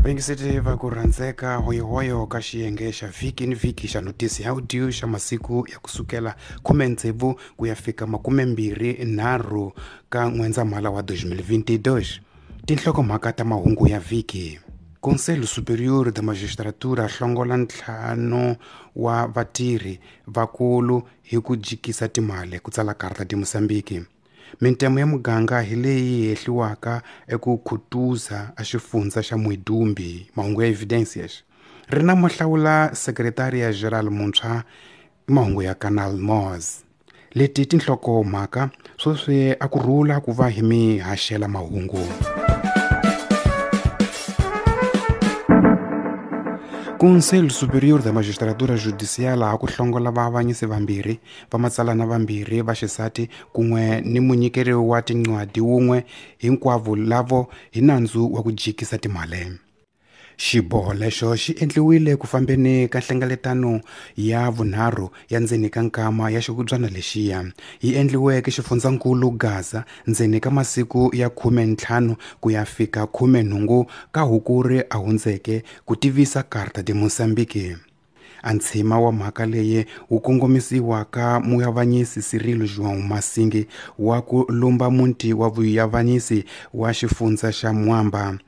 Vayingiseti va ku rhandzeka hoyihoyo ka xiyenge xa vhiki ni vhiki xa notisi ya audio xa masiku ya kusukela 16 ku ya fika 23 ka N'wendzamhala wa 2022. Tinhlokomhaka ta mahungu ya vhiki. Conselho Superior da Magistratura hlongola 5 wa vatirhi vakulu hi ku jikisa timali, ku tsala Carta de Moçambique. Mintemo ya muganga hi leyi hehliwaka eku khutuza a xifundza xa Muidumbe, mahungu ya Evidências. Ri na muhlawula Secretaria Geral muntshwa, mahungu ya Canal Moz. Leti tinhlokomhaka sweswi a ku rhula ku va hi mi haxela mahungu. Conselho Superior da Magistratura Judicial a ku hlongola vaavanyisi vambirhi, vamatsalana vambirhi va xisati kun'we ni munyikeri wa tincwadi wun'we, hinkwavo lavo hi nandzu wa ku jikisa timali. Xiboho lexo xi endliwile ku fambeni ka nhlengeletano ya vunharhu ya ndzeni ka nkama ya xikubyana lexiya, yi endliweke xifundzankulu Gaza ndzeni ka masiku ya 15 ku ya fika 18 ka Hukuri a hundzeke, ku tivisa Carta de Moçambique. A ntshima wa mhaka leyi wu kongomisiwa ka muavanyisi Cirilo João Massingue wa ku lumba muti wa vuavanyisi wa xifundza xa Mwamba.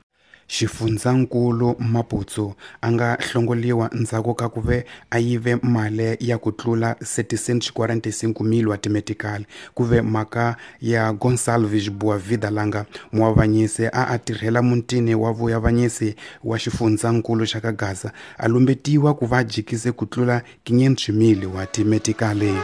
Xifundzankulu Maputo a nga hlongoliwa ndzhaku ka ku ve a yive mali ya ku tlula 745 000 wa timetikali, ku ve mhaka ya Gonçalves Boavida Langa, muavanyisi a a tirhela mutini wa vuavanyisi wa xifundzankulu xa ka Gaza, a lumbetiwa ku va jikise ku tlula 500 000 wa timetikali.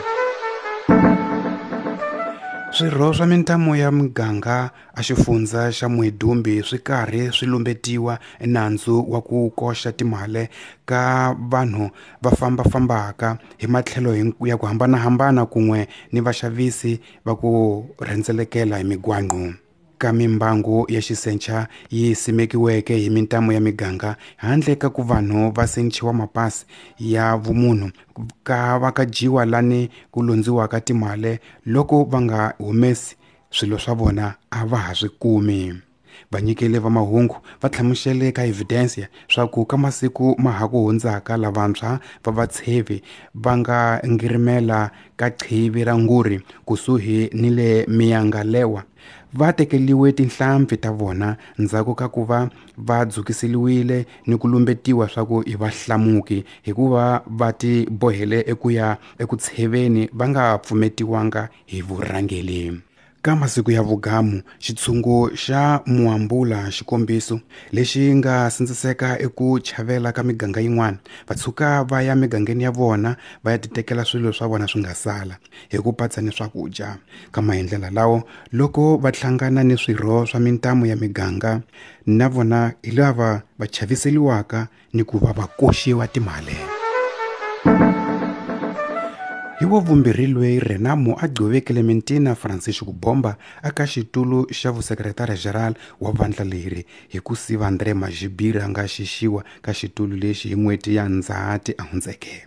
Swirho swa mintamo ya muganga a xifundza xa Muidumbe swi karhi swi lumbetiwa nandzu wa ku koxa timali ka vanhu va fambafambaka hi matlhelo ya ku hambanahambana kun'we ni vaxavisi va ku rhendzelekela hi migwaqo. Ka mimbangu ya xisencha yi simekiweke hi mintamo ya miganga handle ka ku vanhu va senchiwa mapasi ya vumunhu ka va ka dyiwa lani ku lundziwaka timali loko va nga humesi swilo swa vona a va ha swi kumi. Vanyikeli va mahungu va hlamusele ka Evidência swa ku ka masiku ma ha ku hundzaka lavantshwa va vatshevi va nga ngirimela ka qhivi ra nguri kusuhi ni le Miyangalewa va tekeliwe tinhlampfi ta vona ndzhaku ka ku va va dzukiseliwile ni ku lumbetiwa swa ku i vahlamuki hikuva va ti bohele eku ya eku tsheveni va nga pfumetiwanga hi vurhangeli. Ka masiku ya vugamu, xitshungu xa Muambula xikombiso lexi nga sindziseka eku chavela ka miganga yin'wana, va tshuka va ya migangeni ya vona va ya titekela swilo swa vona swi nga sala hi ku patsa ni swakudya. Ka maendlela lawo, loko va hlangana ni swirho swa mintamo ya miganga na vona hi lava va chaviseliwaka ni ku va va koxiwa timali. Hi wa vumbirhi loyi Renamo a gcove Clementina Francisco Bomba aka xitulu xa vusekretari general wa vandla leri hi ku siva André Majibira nga xixiwa ka xitulu lexi hi n'hweti ya Ndzhati a hundzeke.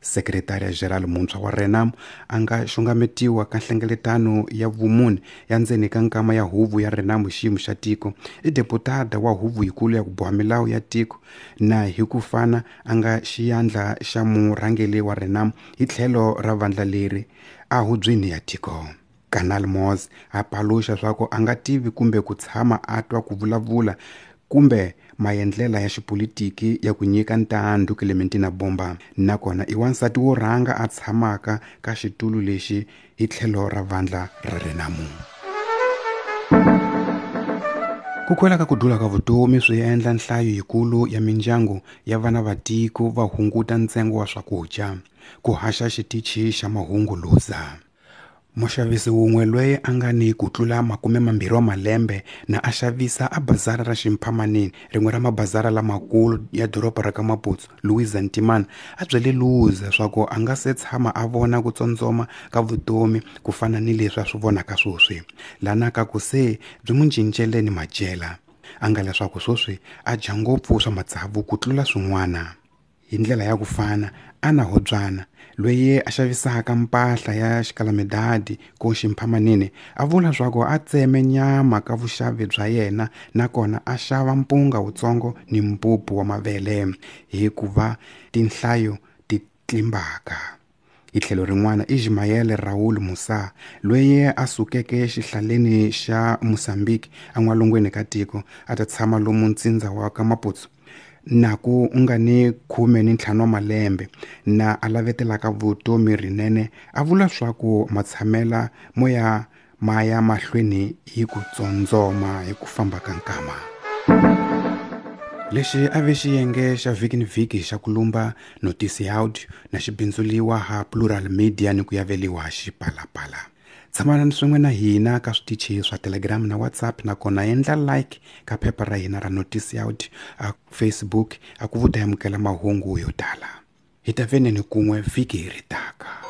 Sekretari General muntshwa wa Renamo a nga xungametiwa ka nhlengeletano ya vumune ya ndzeni ka nkama ya huvo ya Renamo xiyimo xa tiko, i deputada wa huvo yikulu ya ku boha milawu ya tiko na hi ku fana a nga xiyandla xa murhangeri wa Renamo hi tlhelo ra vandla leri a hubyeni ya tiko. Canal Moz a paluxa swa ku a nga tivi kumbe ku tshama a twa ku vulavula kumbe maendlela ya xipolitiki ya ku nyika ntandu Clementina Bomba, nakona i wansati wo rhanga a tshamaka ka xitulu lexi hi tlhelo ra vandla ra Renamo. Ku kwela ka ku dula ka vutomi swi endla nhlayo yikulu ya mindyangu ya vana va tiko va hunguta ntsengo wa swakudya, ku haxa xitichi xa mahungu Luza. Muxavisi wun'we loyi a nga ni ku tlula 20 wa malembe na a xavisa a bazara ra Ximphamaneni, rin'we ra mabazara lamakulu ya doroba ra ka Maputo, Luiza Ntimana, a byele Luza swa ku a nga se tshama a vona ku tsondzoma ka vutomi ku fana ni leswi a swi vonaka sweswi, lana ka ku se byi n'wi cincele ni madyela. A nga leswaku sweswi a dya ngopfu swa matsavu ku tlula swin'wana. Hi ndlela ya ku fana, Anna Hobyana, loyi a xavisaka mpahla ya xikalamidadi ko ximphamanini, a vula swa ku a tseme nyama ka vuxavi bya yena nakona a xava mpunga wutsongo ni mpupu wa mavele hikuva tinhlayo ti tlimbaka. Hi tlhelo rin'wana, Ismael Raul Musa, loyi a sukeke xihlaleni xa Mozambique en'walungwini ka tiko a ta tshama lomu ntsindza wa ka Maputo, na ku nga ni 15 wa malembe na a lavetelaka vutomi rinene, a vula swa ku matshamela mo ya ma ya mahlweni hi ku tsondzoma hi ku famba ka nkama. Lexi a ve xiyenge xa vhiki ni vhiki xa ku lumba notisi ya audio na xi bindzuliwa ha Plural Media ni ku yaveliwa Xipalapala. Tshamanani swin'we na hina ka switichi swa Telegram na WhatsApp, nakona endla like ka phepha ra hina ra notisi ya audio a Facebook a ku vuta amukela mahungu yo tala. Hi ta veneni kun'we vhiki ri taka.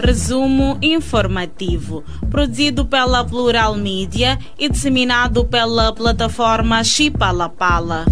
Resumo informativo, produzido pela Plural Mídia e disseminado pela plataforma Chipalapala.